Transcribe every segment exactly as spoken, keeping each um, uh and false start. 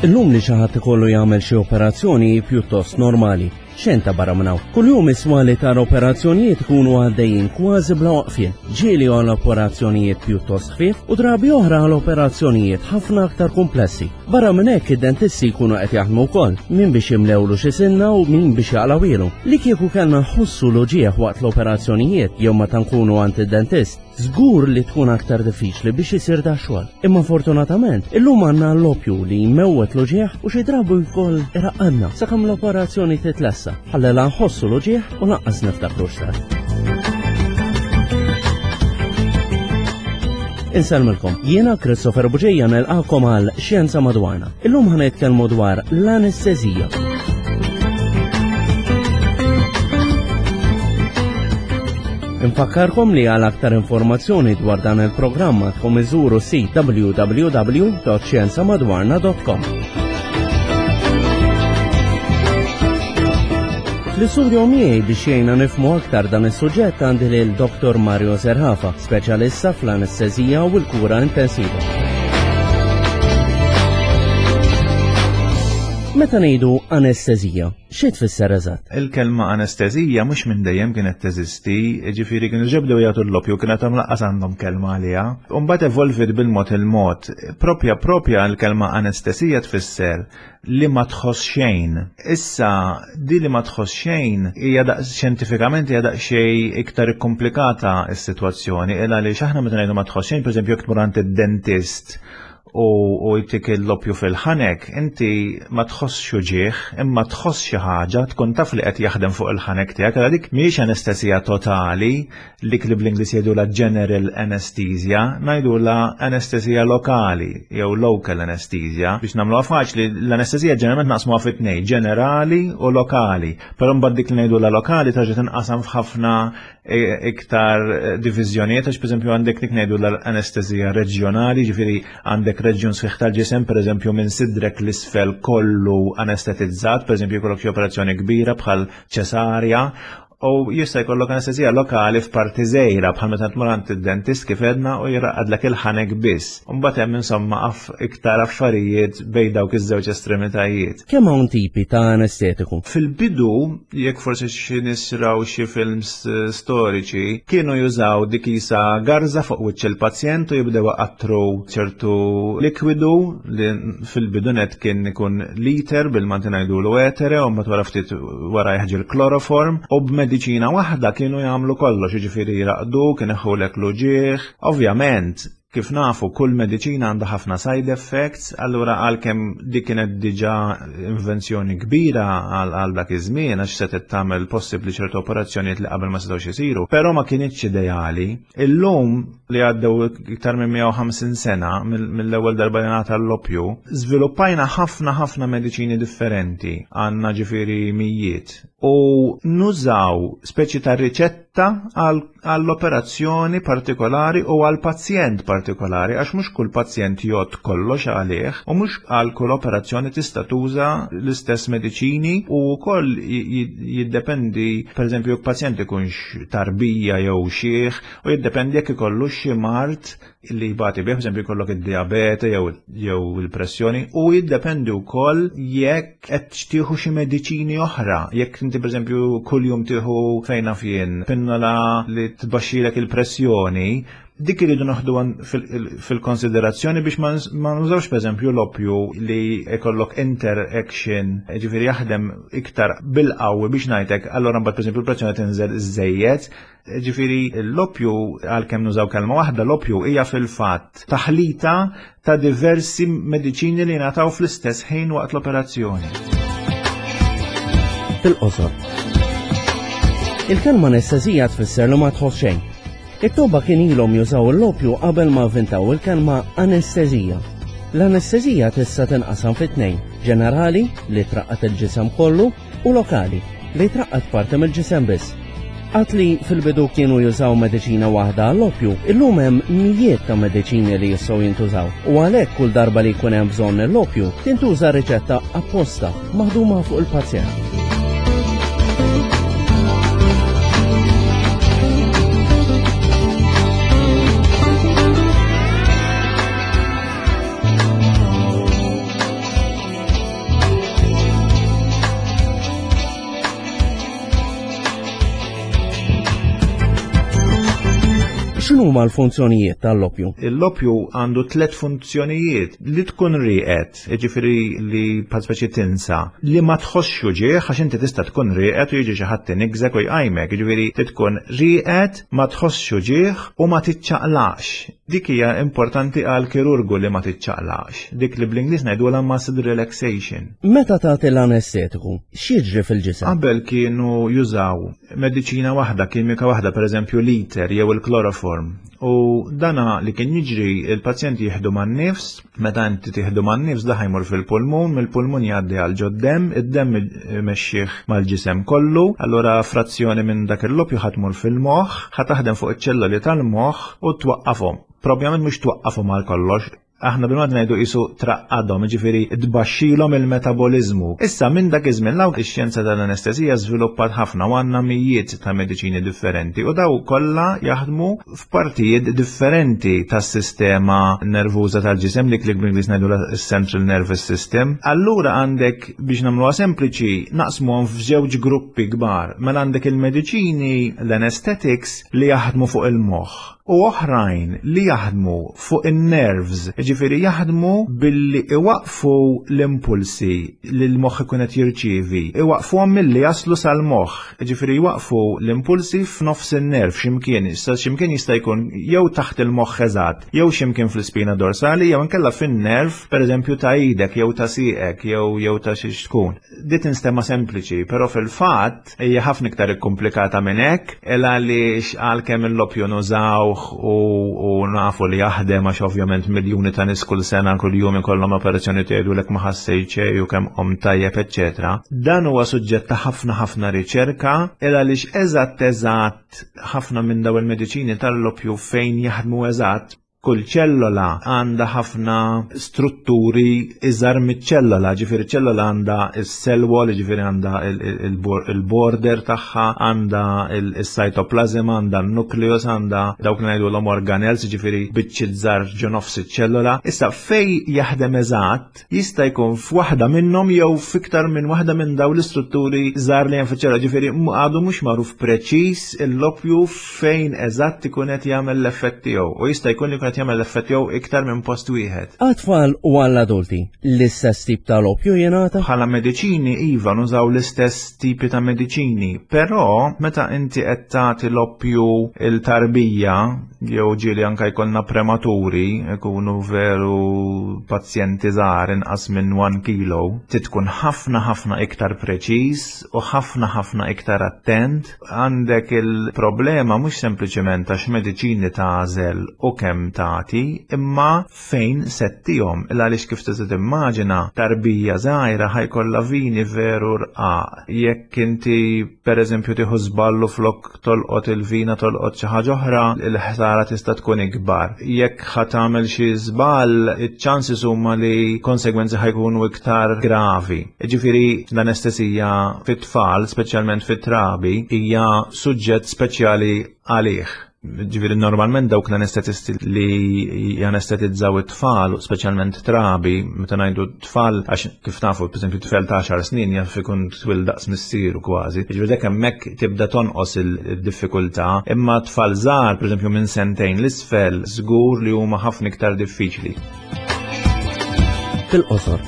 Illum li xi ħadd ikollu jagħmel xi operazzjoni pjuttost normali. Xejn ta' barra minn hawn. Kuljum isma' li tar operazzjonijiet ikunu għaddejjin kważi bla waqfien. Ġieli għal operazzjonijiet pjuttost ħfief u drabi oħra għal operazzjonijiet ħafna aktar komplessi. Barra minn hekk id-dentisti jkunu qed jaħdmu wkoll, min biex jimlewlu xi sinna u min biex jaqlgħuhielu. Li kieku kellna nħossu l-uġigħ waqt l-operazzjonijiet jew meta nkunu għand id-dentist, żgur li tkun aktar diffiċli biex isir da xogħol. Imma fortunatament, illum għandna l-opju li jmewwet l-uġigħ u xi drabi wkoll iraqqadna sakemm l-operazzjoni titlessa. Ħalli la nħossu l-uġigħ u lanqas niftakru x'sar. Insellmilkom, jiena Christopher Bugeja nilqakom għal Xjenza Madwarna. Illum ħa nitkellmu dwar l-anestezija. Infakkarkom li għal aktar informazzjoni dwar dan il-programm għandkom iżuru sit w w w punt xjenzamadwarna punt com. Fl-istudio miegħi biex jgħinna nifhmu aktar dan is-suġġett għandi lil Dottor Mario Zerafa, speċjalista fl-anestezija u l-kura intensiva. Meta ngħidu anestezija, xi tfisser eżatt? Il-kelma anestezija mhux minn dejjem kienet teżisti, ġifieri kienu ġebdew jagħtu l-opju, kienet hemm lanqas għandhom kelma għaliha. U mbagħad evolvit bil-mod il-mod. Propja propja l-kelma anestezija tfisser li ma tħoss xejn. Issa, di li ma tħoss xejn hija daq xjentifikament hija daqsxejn iktar ikkomplikata s-sitwazzjoni, illa li aħna meta ngħidu ma tħoss xejn, pereżempju jekk tmur għand id-dentist u, u jtik l-opju fil-ħanek, inti ma tħoss uġigħ, imma tħoss xi ħaġa, tkun taf li qed jaħdem fuq il-ħanek tiegħek, għal dik mhijiex anestesija totali, dik li bl-Ingliż jgħidulha general anesthesia, ngħidulha anestesija lokali jew local anesthesia. Biex nagħmluha faċli, l-anestesija ġeneralment naqsmuha fi tnejn, ġenerali u lokali. Però mbagħad dik li ngħidulha lokali terġa' tinqasam f'ħafna e, iktar diviżjonijiet, għax pereżempju għandek dik ngħidu l-anestesija reġjonali, ġifieri għandek reġjun sħiħ tal-ġisem, pereżempju minn sidrek l-isfel kollu anestetizzat, pereżempju jkollok xi operazzjoni kbira bħal ċesarja, u jista' jkollok anestezija lokali f'parti żgħira bħal meta tmur għand id-dentist kif għedna u jraqqadlek il-ħanek biss. U mbagħad hemm insomma aff iktar affarijiet bejn dawk iż-żewġ estremitajiet. Kemm hawn tipi ta' anestetiku? Fil-bidu, jekk forsi xi nies raw xi films eh, storiċi, kienu jużaw dik isa garza fuq wiċċ il-pazjent u jibdew iqattru ċertu likwidu li fil-bidu net kien ikun l-eter, bil-Malti ngħidulu etere, u mbagħad wara ftit wara jeħġi l-kloroform, u b'mediċina waħda kienu jagħmlu kollox, jiġifieri jraqdu, kien ineħħulek l-uġigħ. Ovvjament, kif nafu, kull mediċina għandha ħafna side effects, allura għalkemm dik kienet diġà invenzjoni kbira għal għal dak iż-żmien għax setgħet tagħmel possibbli ċertu operazzjonijiet li qabel ma setgħux isiru, però ma kinitx ideali. Illum li għaddew iktar minn mija u ħamsin sena mill-ewwel darba li ngħata l-opju, żviluppajna ħafna ħafna mediċini differenti, għandna ġifieri mijiet. U nużaw speċi ta' riċetta għall-operazzjoni partikolari u għall-pazjent partikolari, għax mhux kull pazjent jgħodd kollox għalih u mhux għal kull operazzjoni tista' tuża l-istess mediċini u wkoll jiddependi, pereżempju, jekk pazjent ikunx tarbija jew xiħ, u jiddependi jekk ikollu xi mard li jbati bih, pereżempju jkollok id-diabete jew jew il-pressjoni, u jiddependi wkoll jekk qed tieħu xi mediċini oħra. Jekk inti pereżempju kuljum tieħu, fejn naf jien, pinnola li tbaxxilek il-pressjoni, dik iridu noħdu fil-konsiderazzjoni biex ma nużawx pereżempju l-opju li jkollok interaction, ġifieri jaħdem iktar bil-qawwi biex ngħidlek, allura mbagħad pereżempju l-pressjoni tinżel iżejjed. Ġifieri l-opju, għalkemm nużaw kelma waħda, l-opju hija fil-fatt taħlita ta' diversi mediċini li ngħataw fl-istess ħin waqt l-operazzjoni. Fil-qosor. Il-kelma anestezija tfisser li ma tħoss xejn. It-tobba kien ilhom jużaw l-opju qabel ma avvintaw il-kelma anestezija. L-anestezija tista' tinqasam fi tnejn: ġenerali, li traqqad il-ġisem kollu, u lokali, li traqqad parti mill-ġisem biss. Għad li fil-bidu kienu jużaw mediċina waħda għall-opju, illum hemm mijiet ta' mediċini li jistgħu jintużaw. U għalhekk kull darba li jkun hemm bżonn l-opju, tintuża riċetta apposta maħduma fuq il-pazjent. X'inhuma l-funzjonijiet tal-opju? L-opju għandu tliet funzjonijiet: li tkun rieqed, jiġifieri li bħal speċi tinsa, li ma tħossx uġigħ, għax inti tista' tkun rieqed u jiġi xi ħadd inigżek u jqajmek, jiġifieri tkun rieqed, ma tħossx uġigħ u ma tiċċaqlax. Dik hija importanti għal kirurgu li ma tiċċaqlax. Dik li bl-Ingliż ngħidulha muscle relaxation. Meta tagħti l-anestetiku, x'jiġri fil-ġisem? Qabel kienu jużaw mediċina waħda, kimika waħda, pereżempju l-eter jew il-kloroform. U dana li kien jiġri, il-pazjent jieħdu man-nifs, meta inti tieħdu man-nifs da ħajmur fil-pulmun, mill-pulmun jgħaddi għal ġod-demm, id-demm imexxih mal-ġisem kollu, allura frazzjoni minn dak il-lopju ħa tmur fil-moħħ, ħa taħdem fuq iċ-ċelloli tal-moħħ u twaqqafhom. Propjament mhux twaqqafhom għal kollox, aħna bil-mod ngħidu qisu traqqadhom, jiġifieri tbaxxilhom il-metabolizmu. Issa minn dak iż-żmien law ix-xjenza tal-anestezija żviluppat ħafna u għandna mijiet ta' mediċini differenti u daw kollha jaħdmu f'partijiet differenti tas-sistema nervuża tal-ġisem, li klik bl-Ingliż ngħidu central nervous system. Allura għandek, biex nagħmluha sempliċi, naqsmuhom f'żewġ gruppi kbar. Mela għandek il-mediċini, l-anesthetics, li jaħdmu fuq il-moħħ, u oħrajn li jaħdmu fuq in-nerves, jiġifieri jaħdmu billi iwaqfu l-impulsi li l-moħħ ikun qed jirċievi, iwaqfuhom milli jaslu sal-moħħ, jiġifieri jwaqfu l-impulsi f'nofs in-nerv x'imkien, issa x'imkien jista' jkun jew taħt il-moħħ eżatt, jew x'imkien fl-ispina dorsali, jew inkella fin-nerv, pereżempju ta' idek, jew ta' sieqek, jew jew ta' xi tkun. Di tinstema' sempliċi, però fil-fatt hija ħafna iktar ikkumplikata minn hekk, għaliex għalkemm il-lopju nużaw u, u nafu li jaħdem, għax ovvjament miljuni ta' nies kull sena kull jum ikollhom operazzjoni tgħidulek ma ħassejt xejn u kemm qom tajjeb, eċċetera. Dan huwa suġġett ta' ħafna ħafna riċerka, għaliex eżatt eżatt ħafna minn daw il-mediċini tal-lopju fejn jaħdmu eżatt, kull ċellola għandha ħafna strutturi iżgħar miċ-ċellola, ġifieri ċellola għandha s-cell wall, ġifieri għandha il-border tagħha, għandha il-cytoplasm, għandha n-nucleus, għandha dawk li ngħidulhom organelles, ġifieri biċċiet żgħar ġo nofs iċ-ċellola. Issa fej jaħdem eżatt jista' jkun f'waħda minnhom jew f'iktar minn waħda minn dawn l-istrutturi żgħar li hemm fiċ-ċellola, ġifieri għadu mhux magħruf preċiż il-lopju fejn eżatt ikun qed jagħmel l-effett tiegħu, u jista' jkun li qed jagħmel l-effett jew iktar minn post wieħed. Għat-tfal u għall-adulti, l-istess tip ta' lopju jingħata? Bħala mediċini iva nużaw l-istess tipi ta' mediċini, però meta inti qed tagħti l-oppju il-tarbija, jew ġieli anke jkollna prematuri, ikunu veru pazjenti żgħar inqas minn one kilo, tkun ħafna ħafna iktar preċiż u ħafna ħafna iktar attent. Għandek il-problema mhux sempliċement għax mediċini tagħżel u kemm tagħti, imma fejn settihom. Għaliex kif tista' timmaġina tarbija żgħira ħajkollha vini veru rqaq. Jekk inti pereżempju tieħu żballu flok tolqot il-vina tolqot xi ħaġa oħra, il-ħsara tista' tkun ikbar. Jekk ħa tagħmel xi żball, iċ-ċansis huma li konsegwenzi ħajkunu iktar gravi. Ġifieri l-anestesija fit-tfal, speċjalment fit-trabi, hija suġġett speċjali għalih. Ġifieri normalment dawk l-anestetisti li janestetizzaw it-tfal, speċjalment trabi, meta ngħidu tfal, għax kif nafu, pereżempju tfel ta' għaxar snin jaf ikun twil daqs missieru kważi. Ġifieri dak hemmhekk tibda tonqos il-diffikultà, imma tfal żgħar, pereżempju minn sentejn l-isfel, żgur li huma ħafna iktar diffiċli. Fil-qosor.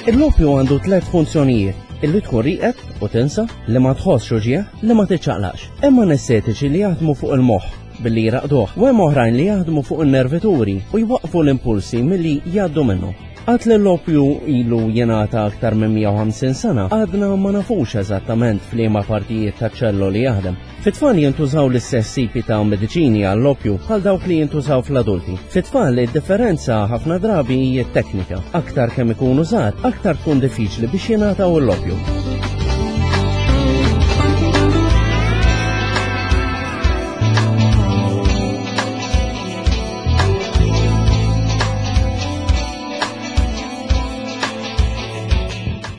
Il-lopju għandu tliet funzjonijiet: illi tkun rieqed u tinsa, li ma tħossx uġigħ, li ma tiċċaqlax. Hemm anestetiċi li jaħdmu fuq il-moħħ billi jraqduh, u hemm oħrajn li jaħdmu fuq in-nervituri u jwaqfu l-impulsi milli jgħaddu minnu. Għad li l-opju ilu jingħata aktar minn mija u ħamsin sena, għadna ma nafux eżattament f'liema partijiet ta' ċelloli jaħdem. Fit-tfal jintużaw l-istess tipi ta' mediċini għall-opju bħal dawk li jintużaw fl-adulti. Fit-tfal id-differenza ħafna drabi hija teknika. Aktar kemm ikunu żgħar, aktar tkun diffiċli biex jingħataw l-opju.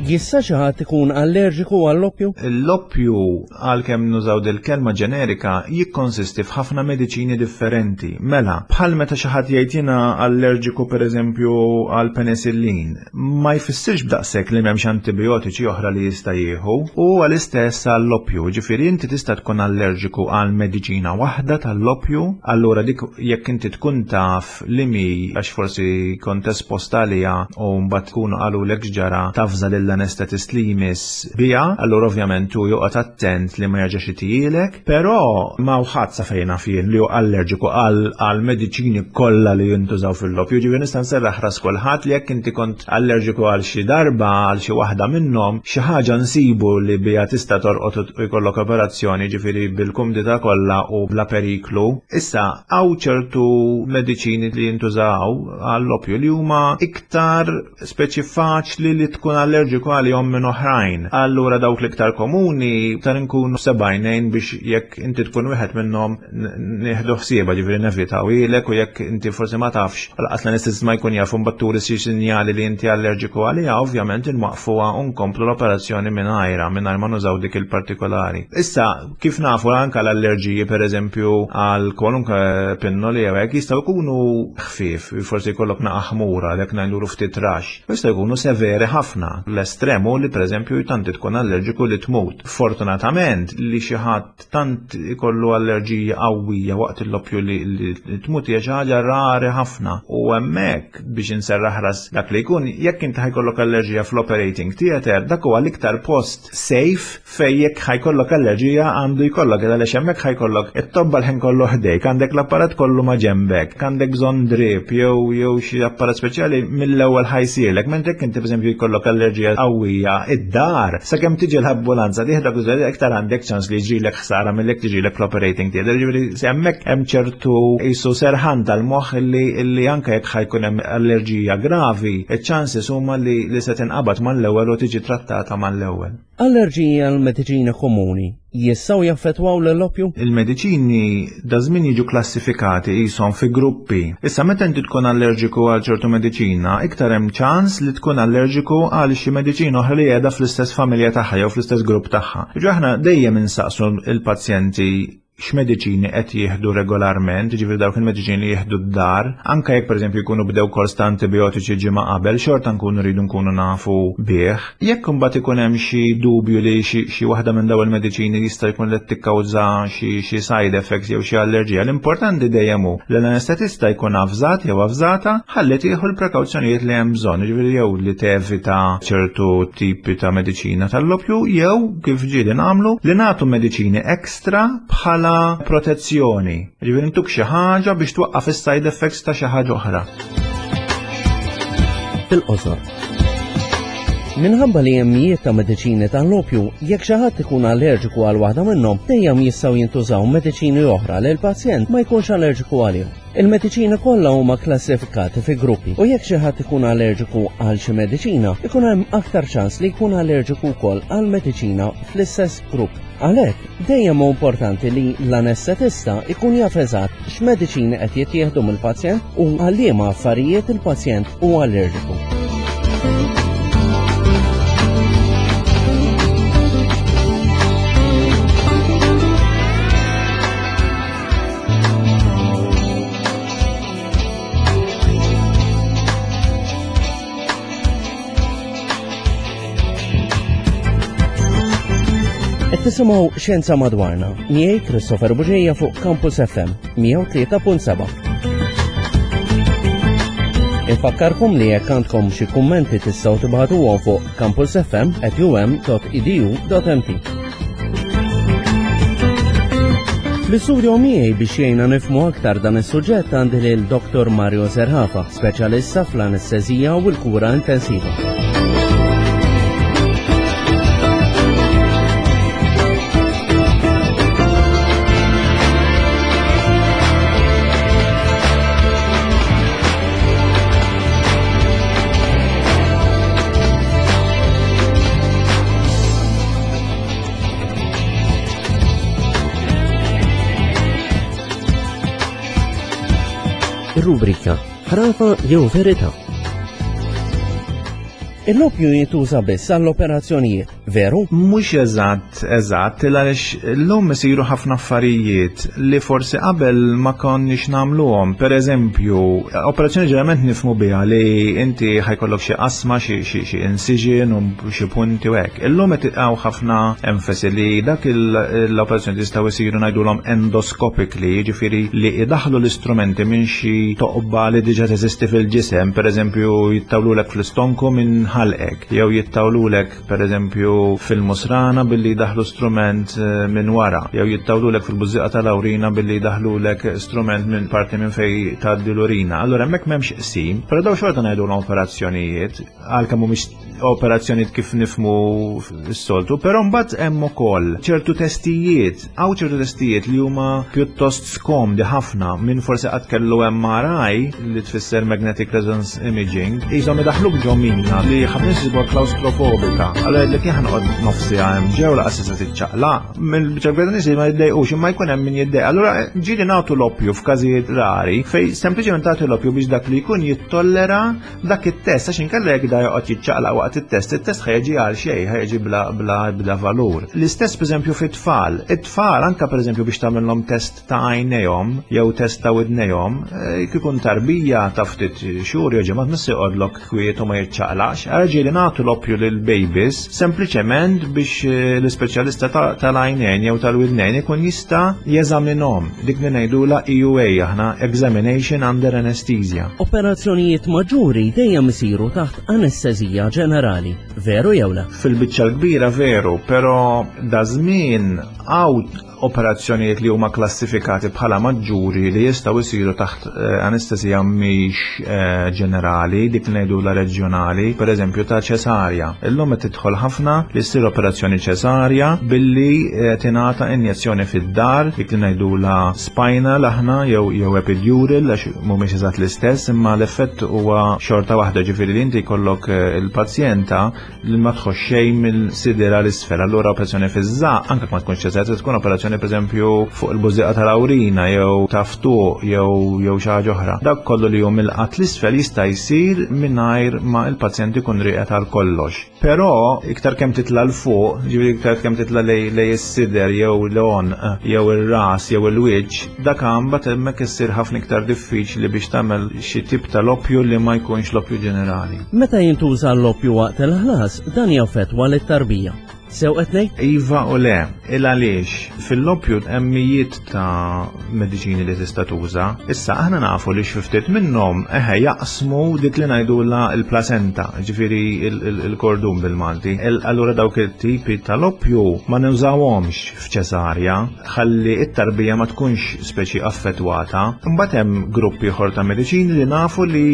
Jista' xi ħadd ikun allerġiku għall-opju? L-oppju, għalkemm nużaw dil-kelma ġenerika, jikkonsisti f'ħafna mediċini differenti. Mela, bħal meta xi ħadd jgħid jiena allerġiku, pereżempju, għal penicillin, ma jfissirx b'daqshekk li m'hemmx antibiotiċi oħra li jista' jieħu, u għall-istess għall-oppju, ġifieri inti tista' tkun allerġiku għal mediċina waħda tal-oppju, allura dik jekk inti tkun taf li mi għax forsi kont esposta għaliha u mbagħad tkunu qalulek x'ġara, tavża lill anestetist li jmiss bija, allura ovvjament tu joqgħod attent li ma jerġax itihielek, però ma ħadd sa fejn naf jien li hu allerġiku għal mediċini kollha li jintużaw fil-lopju. Ġifieri nista' nserraħ ras kulħadd li jekk inti kont allerġiku għal xi darba għal xi waħda minnhom, xi ħaġa nsibu li bija tista' torqod u jkollok operazzjoni, ġifieri bil-kumdità kollha u bla periklu. Issa hawn ċertu mediċini li jintużaw għall-opju li huma iktar speċi faċli li tkun allerġiku għalihom minn oħrajn. Allura dawk l-iktar komuni tar nkunu sebgħajnejn biex jekk inti tkun wieħed minnhom nieħdu ħsieba, ġifieri nevitawhielek, u jekk inti forsi ma tafx, lanqas l-anestesist ma jkun jaf, mbagħad turi xi sinjali li inti allerġiku għaliha, ovvjament inwaqfuha u nkomplu l-operazzjoni mingħajra mingħajr ma nużaw dik il-partikolari. Issa, kif nafu, anke l-allerġiji, pereżempju, għal kwalunkwe pinnoli jew hekk, jistgħu jkunu ħfief, forsi jkollok naqa ħmura, dak ngħidulu ftit rax. Jistgħu jkunu severi ħafna. L-estremu li pereżempju tanti tkun allerġiku li tmut. Fortunatament li xi ħadd tant ikollu allerġija qawwija waqt il-loppju li, li tmut hija xi ħaġa rari ħafna. U hemmhekk biex inserraħ ras dak li jkun, jekk inti ħa jkollok allerġija fl-operating theater, dak huwa l-iktar post safe fej jekk ħa jkollok allerġija għandu jkollok, għaliex hemmhekk ħa jkollok it-tobba l-ħin kollu ħdejk, għandek l-apparat kollu ma' ġembek, għandek bżonn drip jew jew xi apparat speċjali, mill-ewwel ħa jsirlek, mentre jekk inti, pereżempju, jkollok allerġija qawwija id-dar, sakemm tiġi l-ambulanza tieħdek, iktar għandek ċans li jiġrilek ħsara milli tiġrilek fl-operating theater. Ġifieri hemmhekk hemm ċertu qisu serħan tal-moħħ illi illi anke jekk ħa jkun hemm allerġija gravi, iċ-chances huma li, li se tinqabad mal-ewwel u tiġi trattata mal-ewwel. Allerġiji għal mediċina komuni jistgħu jaffettwaw l-opju? Il-mediċini daż-żmien jiġu klassifikati qishom fi gruppi. Issa, meta inti tkun allerġiku għal ċertu mediċina, iktar hemm ċans li tkun allerġiku għal xi mediċina oħra li qiegħda fl-istess familja tagħha jew fl-istess grupp tagħha. Ġu aħna dejjem insaqsu il-pazjenti x'mediċini qed jieħdu regolarment, ġifieri dawk il-mediċini li jieħdu d-dar, anke jekk, pereżempju, jkunu bdew kors ta' antibiotiċi ġimgħa qabel, xorta nkunu rridu nkunu nafu bih. Jekk imbagħad ikun hemm xi dubju li xi waħda minn dawn il-mediċini jista' jkun li tikkawża xi side effects jew xi allerġija, l-importanti dejjem hu li l-anestetista jkun avżat jew avżata ħalli tieħu l-prekawzjonijiet li hemm bżonn, ġifieri jew li tevita ċertu tipi ta' mediċina tal-lopju jew, kif ġieli nagħmlu, li nagħtu mediċini ekstra bħala bħala protezzjoni. Ġifieri ntuk xi ħaġa biex twaqqaf is-side effects ta' xi ħaġa oħra. Fil-qosor. Minħabba li hemm mijiet ta' mediċini tal-opju, jekk xi ħadd ikun allerġiku għal waħda minnhom, dejjem jistgħu jintużaw mediċini oħra li l-pazjent ma jkunx allerġiku għalihom. Il-mediċini kollha huma klassifikati fi gruppi u jekk xi ħadd ikun allerġiku għal xi mediċina, ikun hemm aktar ċans li jkun allerġiku wkoll għal mediċina fl-istess grupp. Għalhekk, dejjem hu importanti li l-anestetista ikun jaf eżatt x'mediċini qed jittieħdu mill-pazjent u għal liema affarijiet il-pazjent hu allerġiku. Qed tisimgħu Xjenza Madwarna, miegħi Christopher Bugeja fuq Campus F M mija u tlieta punt seba'. Infakkarkom li jekk għandkom xi kummenti tistgħu tibagħtuhom fuq campusfm at um dot edu dot M T. Fl-istudio miegħi biex jgħinna nifhmu aktar dan is-suġġett għandi lil Dottor Mario Zerafa, speċjalista fl-anestezija u l-kura intensiva. Rubrika Ħrafa jew Verità. Il-loppju jintuża biss għall-operazzjonijiet, veru? Mhux eżatt, eżatt, għaliex llum isiru ħafna affarijiet li forsi qabel ma konniex nagħmluhom. Per eżempju, operazzjoni ġeneralment nifhmu biha li inti ħa jkollok xi qasma, xi xi incision u xi punti u hekk. Illum qed hawn ħafna enfasi li dak l-operazzjoni jistgħu jsiru ngħidulhom endoscopically, jiġifieri li idaħlu l-istrumenti minn xi toqba li diġà teżisti fil-ġisem, per eżempju jittawlulek fl-istonku minn ħalqek, jew jittawlulek per eżempju fil-musrana billi daħlu strument minn wara, jew jittawlulek fil-bużżieqa tal-awrina billi daħlulek strument minn parti minn fej tgħaddi l-urina. Allura hemmhekk m'hemmx qsim, però daw xorta ngħidulhom operazzjonijiet, għalkemm mhumiex operazzjonijiet kif nifhmu s-soltu, però mbagħad hemm ukoll ċertu testijiet, hawn ċertu testijiet li huma pjuttost skomdi ħafna minn forsi qatt kellu M R I li tfisser Magnetic Resonance Imaging, qishom idaħluk ġo minna li ħafna nies isibuha klaustrofobika. Allura jgħidlek jien ħanqod nofsi hemm ġew laqas se tiċċaqlaq, mill-biċċa kbira nies ma jiddejqux imma jkun hemm min jiddejq. Allura ġieli nagħtu l-oppju f'każijiet rari fejn sempliċement tagħtu l-oppju biex dak li jkun jittollera dak it-test, għax inkella jekk da joqgħod jiċċaqlaq waqt it-test, it-test ħa jiġi għal xejn, ħa jiġi bla bla bla valur. L-istess pereżempju fit-tfal. It-tfal anke pereżempju biex tagħmilhom test ta' għajnejhom jew test ta' widnejhom, jekk ikun tarbija ta' ftit xhur jew ġimgħat miss joqgħodlok kwiet u ma jiċċaqlaqx. Ġieli nagħtu l-oppju lil babies sempliċement biex l-ispeċjalista tal-għajnejn jew tal-widnejn ikun jista' jeżaminhom. Dik li ngħidulha E U A aħna, Examination Under Anesthesia. Operazzjonijiet maġġuri dejjem isiru taħt anestezija ġenerali, veru jew le? Fil-biċċa l-kbira veru, però da żmien hawn operazzjonijiet li huma klassifikati bħala maġġuri li jistgħu jsiru taħt anestezija mhix ġenerali, dik li ngħidulha reġjonali, pereżempju ta' ċesarja. Illum qed tidħol ħafna li ssir operazzjoni ċesarja billi tingħata injezzjoni fid-dar, dik li ngħidulha spinal aħna jew jew epidural għax mhumiex eżatt l-istess, imma l-effett huwa xorta waħda, ġifieri li inti jkollok il-pazjenta li ma tħoss xejn mill-sidera l-isfel. Allura operazzjoni fiż-żaq anke ma tkunx ċesarja, tkun operazzjoni pereżempju fuq il-bużżieqa tal-awrina jew taftuq jew jew xi ħaġa oħra. Dak kollu li hu mill-qatt l-isfel jista' jsir mingħajr ma l-pazjent ikun rieqed għal kollox. Però iktar kemm titla' l fuq, ġifieri iktar kemm titla' lej lej is-sider jew l-għonq jew ir-ras jew il-wiċċ, dak imbagħad hemmhekk issir ħafna iktar diffiċli biex tagħmel xi tip ta' loppju li ma jkunx loppju ġenerali. Meta jintuża l-loppju waqt il-ħlas, dan jaffettwa lit-tarbija. Sew qed ngħid? Iva u le, il għaliex fil-loppju hemm mijiet ta' mediċini li tista' tuża. Issa aħna nafu li xi ftit minnhom eħe jaqsmu dik li ngħidulha l-placenta, ġifieri il-kordun bil-Malti. Allura dawk it-tipi ta' loppju ma nużawhomx f'ċesarja, ħalli t-tarbija ma tkunx speċi affettwata. Imbagħad hemm gruppi ieħor ta' mediċini li nafu li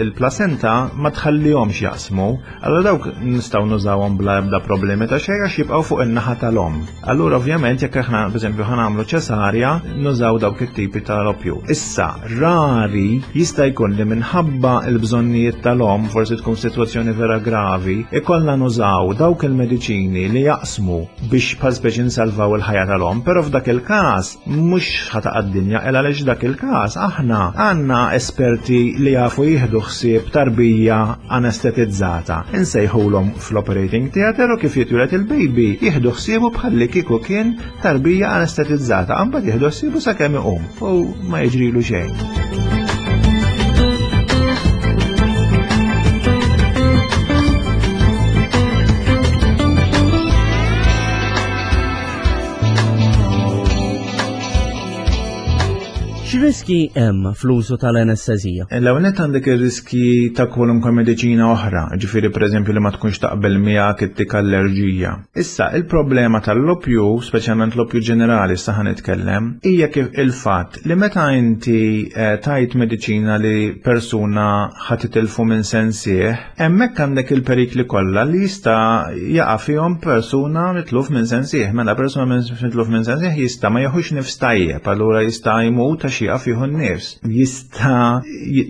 l-placenta ma tħallihomx jaqsmu, allura dawk nistgħu nużawhom bla ebda problemi ta' xejn għax jibqgħu fuq in-naħa tal-omm. Allura ovvjament jekk aħna pereżempju ħa nagħmlu ċesarja, nużaw dawk it-tipi ta' loppju. Issa rari jista' jkun li minħabba l-bżonnijiet tal-omm, forsi tkun sitwazzjoni vera gravi, ikollna nużaw dawk il-mediċini li jaqsmu biex bħal speċi nsalvaw il-ħajja tal-omm, però f'dak il-każ mhux ħa taqa' d-dinja, illa għaliex dak il-każ aħna għandna esperti li jafu jieħdu ħsieb tarbija anestetizzata. Insejħulhom fl-operating theater u kif jitwieled il-baby jieħdu ħsiebu bħalli kieku kien tarbija anestetizzata, imbagħad jieħdu ħsiebu sakemm iqum u ma jiġrilu xejn. X'riskju X'riski hemm fl-użu tal-anestezija? L-ewwel nett għandek ir-riski ta' kwalunkwe mediċina oħra, ġifieri pereżempju li ma tkunx taqbel miegħek ittik allerġija. Issa, il-problema tal-loppju, speċjalment l-oppju ġenerali issa ħa nitkellem, hija kif il-fatt li meta inti eh, tajt mediċina li persuna ħa titilfu minn sensih, hemmhekk għandek il-perikli kollha li jista' jaqa' fihom persuna mitluf minn sensih. Mela persuna mitluf minn sensih jista' ma jeħux nifs tajjeb, allura jista' jmut għax jieqaf jieħu n-nifs. Jista'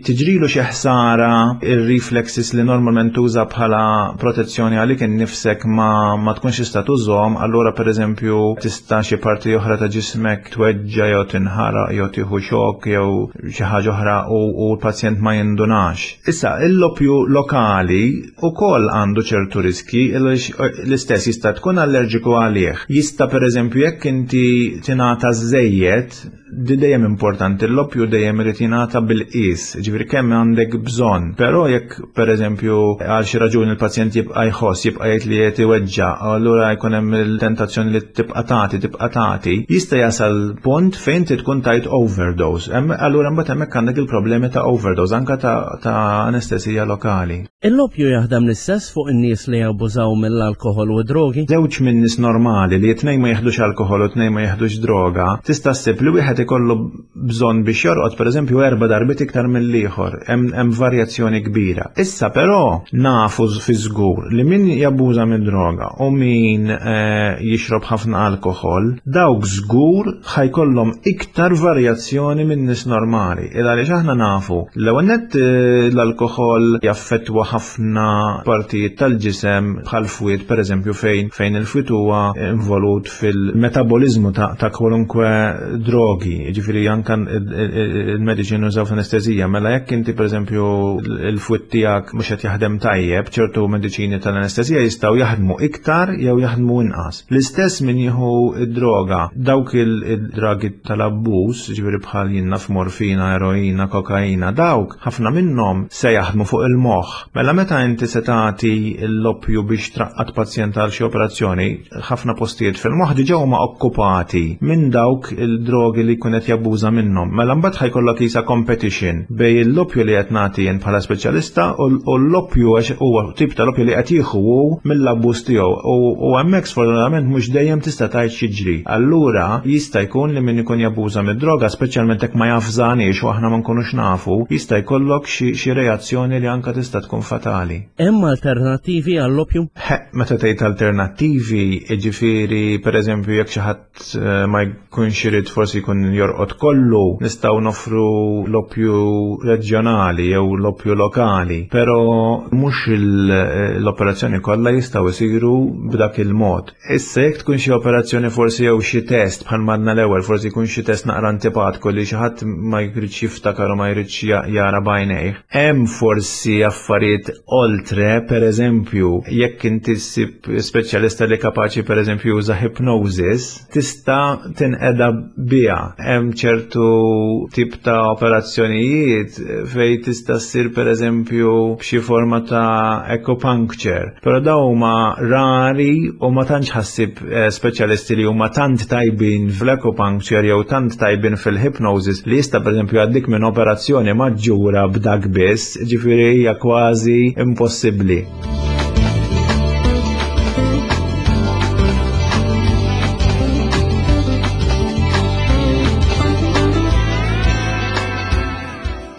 tiġrilu xi ħsara ir-reflexes li normalment tuża bħala protezzjoni għalik innifsek ma, ma tkunx tista' tużhom, allura pereżempju tista' xi parti oħra ta' ġismek tweġġa' jew tinħaraq jew tieħu xokk jew xi ħaġa oħra u, u l-pazjent ma jindunax. Issa, il-loppju lokali ukoll għandu ċertu riski, l-istess jista' tkun allerġiku għalih. Jista' pereżempju jekk inti tingħata żejjed, di dejjem importanti, l-loppju dejjem irid jingħata bil-qis, ġifieri kemm għandek bżonn. Però jekk pereżempju għal xi raġuni l-pazjent jibqa' jħoss, jibqa' jgħid li qed iweġġa', allura jkun hemm il-tentazzjoni li tibqa' tagħti, tibqa' tagħti, jista' jasal punt fejn inti tkun tajt overdose. Allura mbagħad hemmhekk għandek il-problemi ta' overdose anke ta', ta' anestesija lokali. Il-loppju jaħdem l-istess fuq in-nies li jabbużaw mill-alkoħol u drogi? Żewġ minn nies normali li tnejn ma jeħdux alkoħol u tnejn ma jeħdux droga, tista' ssib li wieħed ikollu bżonn biex jorqod pereżempju erba' darbiet iktar mill-ieħor, hemm varjazzjoni kbira. Issa però nafu fi żgur li min jabbuża mid-droga u min eh, jixrob ħafna alkoħol, dawk żgur ħajkollhom iktar varjazzjoni minn nies normali. Il għaliex aħna nafu l-ewwel nett l-alkoħol jaffettwa ħafna partijiet tal-ġisem bħal fwied pereżempju fejn fejn il-fwied huwa involut fil-metaboliżmu ta', ta' kwalunkwe drogi, ġifieri anke il-mediċini użaw f'anestezija, mela jekk inti pereżempju il-fwied tiegħek mhux qed jaħdem tajjeb, ċertu mediċini tal-anestezija jistgħu jaħdmu iktar jew jaħdmu inqas. L-istess min jieħu id-droga, dawk il-dragi tal-abbuż, ġifieri bħal jiena f'morfina, eroina, kokaina, dawk ħafna minnhom se jaħdmu fuq il-moħħ. Mela meta inti se tagħti l-oppju biex traqqat pazjent għal xi operazzjoni, ħafna postijiet fil-moħħ diġà huma okkupati minn dawk il-drogi li jkun qed jabbuża minnhom. Mela mbagħad ħajkollok isa competition bej l-oppju li qed nagħti jien bħala speċjalista u l-oppju għax huwa tip ta' l-oppju li qed jieħu hu mill-abbuż tiegħu. U hemmhekk sfortunatament mhux dejjem tista' tgħid x'jiġri. Allura jista' jkun li min ikun jabbuża mid-droga, speċjalment jekk ma jafżaniex u aħna ma nkunux nafu, jista' jkollok xi reazzjoni li anke tista' tkun fatali. Hemm alternattivi għall-oppju? Meta tgħid alternattivi, jiġifieri pereżempju jekk xi ħadd ma jkunx irid forsi jkun jorqod kollu, nistgħu noffru l-oppju reġjonali jew l-oppju lokali, però mhux l-operazzjoni kollha jistgħu jsiru b'dak il-mod. Issa jekk tkun xi operazzjoni forsi jew xi test bħal madna l-ewwel, forsi jkun xi test naqra antipatku li xi ħadd ma jridx jiftakar u ma jridx jara b'għajnejh. Hemm forsi affarijiet oltre, pereżempju, jekk inti ssib speċjalista li kapaċi pereżempju juża hypnosis, tista' tinqeda biha. Hemm ċertu tip ta' operazzjonijiet fejn tista' ssir pereżempju b'xi forma ta' acupuncture, però dawn huma rari u ma tantx ħassib speċjalisti li huma tant tajbin fl-acupuncture jew tant tajbin fil-hypnosis li jista' pereżempju għaddik minn operazzjoni maġġura b'dak biss, ġifieri hija kważi impossibbli.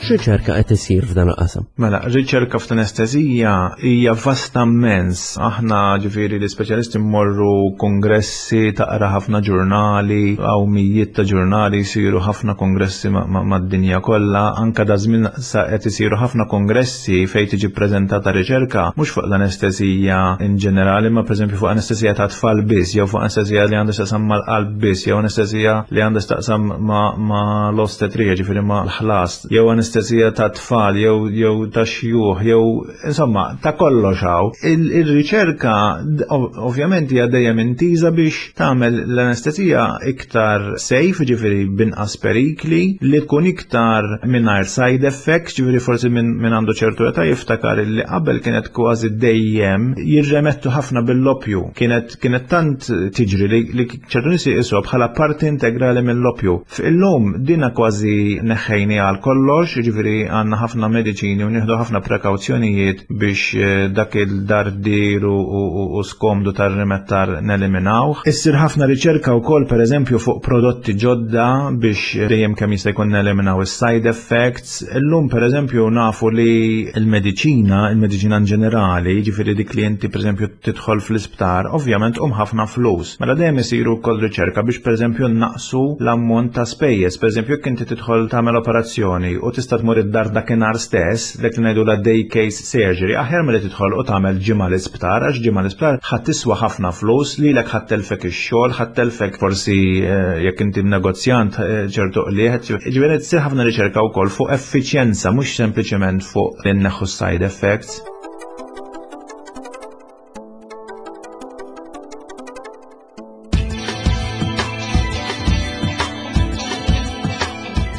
X'riċerka qed isir f'dan il-qasam? Mela, riċerka f'anestezija hija vasta immens. Aħna ġifieri l-ispeċjalisti mmorru kongressi, taqra ħafna ġurnali, hawn mijiet ta' ġurnali, jsiru ħafna kongressi mad-dinja kollha. Anke da żmien sa qed isiru ħafna kongressi fejn tiġi ppreżentata riċerka mhux fuq l-anestezija in ġenerali, ma pereżempju fuq anestezija ta' tfal biss, jew fuq anestezija li għandha x'taqsam mal-qalb biss, jew anestezija li għandha x'taqsam ma' l-ostetrija, ġifieri ma' l-ħlas, jew anestezija anestezija ta' tfal jew jew ta' xjuħ jew insomma ta' kollox hawn. Il-riċerka ovvjament hija dejjem intiża biex tagħmel l-anestezija iktar safe, ġifieri binqas perikli, li tkun iktar mingħajr side effects, ġifieri forsi minn għandu ċertu età jiftakar li qabel kienet kważi dejjem jirremettu ħafna bil-lopju. Kienet kienet tant tiġri li ċertu nies jqisuha bħala parti integrali mill-lopju. Illum dina kważi neħħejni għal kollox, ġifieri għandna ħafna mediċini u nieħdu ħafna prekawzjonijiet biex dak il-dardir u skomdu tar-rimettar neliminawh. Issir ħafna riċerka wkoll pereżempju fuq prodotti ġodda biex dejjem kemm jista' jkun neliminaw is-side effects. Illum pereżempju nafu li l-mediċina, il-mediċina in ġenerali, ġifieri dik li inti pereżempju tidħol fl-isptar, ovvjament hum ħafna flus. Mela dejjem isiru wkoll riċerka biex pereżempju naqsu l-ammont ta' spejjeż. Pereżempju jekk inti tidħol tagħmel operazzjoni u tista' tmur id-dar dakinhar stess, dak li ngħidu la day case surgery, aħjar milli tidħol u tagħmel ġimgħa l-isptar, għax ġimgħa l-isptar ħadd tiswa ħafna flus, lilek ħadd telfek ix-xogħol, ħadd telfek forsi jekk inti negozjant ċertu qliegħ. Ġifieri tsir ħafna riċerka wkoll fuq effiċjenza, mhux sempliċement fuq li nneħħu side effects.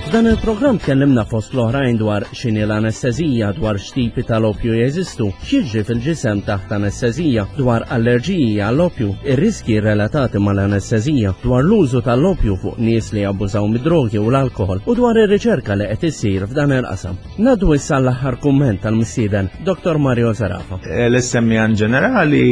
F'dan il-programm tkellimna fost l-oħrajn dwar x'inhi l-anestezija, dwar x'tipi tal-opju jeżistu, x'jiġri fil-ġisem taħt anestezija, dwar allerġiji għall-opju, ir-riski relatati mal-anestezija, dwar l-użu tal-opju fuq nies li jabbużaw mid-drogi u l-alkohol u dwar ir-riċerka li qed issir f'dan il-qasam. Ngħaddu issa l-aħħar kumment tal-mistieden, Dottor Mario Zerafa. L-S M E in ġenerali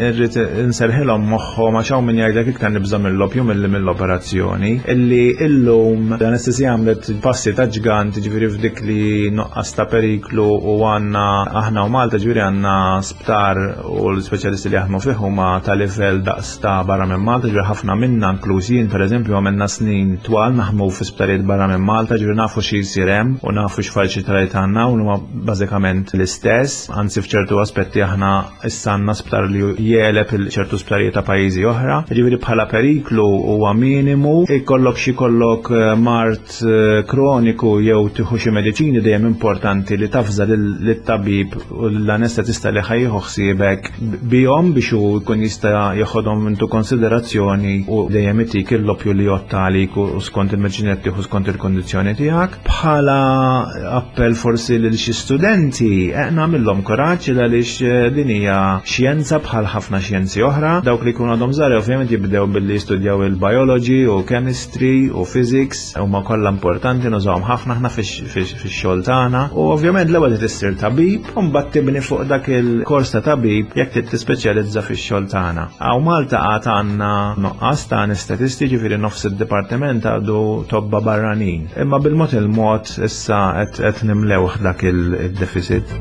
rrid inserħilhom moħħhom għax hawn min jgħidlek iktar nibża' mill-opju milli mill-operazzjoni, illi illum l-anestezija għamlet passi ta' ġgant, ġifieri f'dik li nuqqas ta' periklu u għandna aħna u Malta ġifieri għandna sptar u l-speċjalisti li jaħdmu fih huma ta' livell daqs ta' barra minn Malta, ġifieri ħafna minna inkluż jien pereżempju għamilna snin twal naħdmu fi sptarijiet barra minn Malta, ġifieri nafu xi jsir hemm u nafu x'faċilitajiet għandna u huma bażikament l-istess, anzi f'ċertu aspetti aħna issa għandna sptar li jeleb ċertu sptarijiet ta' pajjiżi oħra, ġifieri bħala periklu huwa minimu, ikollok xi kollok mart kroniku jew tieħu xi mediċini dejjem importanti li tafża lit-tabib u l-anestetista li ħajjieħu ħsiebek bihom biex hu jkun jista' jeħodhom intu konsiderazzjoni u dejjem itik il-lopju li jotta għalik u skont il-mediċini qed tieħu skont il-kondizzjoni tiegħek. Bħala appell forsi lil xi studenti nagħmilhom kuraġġ għaliex din hija xjenza bħal ħafna xjenzi oħra. Dawk li jkunu għadhom żgħar ovvjament jibdew billi jistudjaw il-biology u chemistry u physics, huma kollha importanti nużawhom ħafna aħna fix-xogħol tagħna u ovvjament l-ewwel trid issir tabib u mbagħad tibni fuq dak il-kors ta' tabib jekk trid tispeċjalizza fix-xogħol tagħna. Hawn Malta għad għandna nuqqas ta' anestetisti, ġifieri nofs id-dipartiment għadu tobba barranin. Imma bil-mod il-mod issa qed nimlewh dak il-deficit.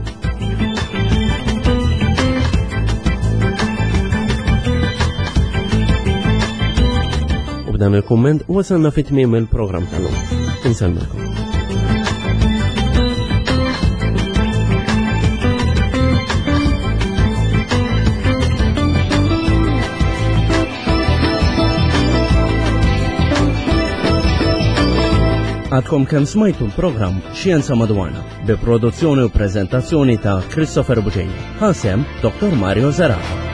U b'dan il-kumment wasalna fi tmiem il-programm tal-lum. Insellmilkom. Għadkom kemm smajtu l-programm Xjenza Madwarna bi produzzjoni u preżentazzjoni ta' Christopher Buġeja. Ħasem Dottor Mario Zerafa.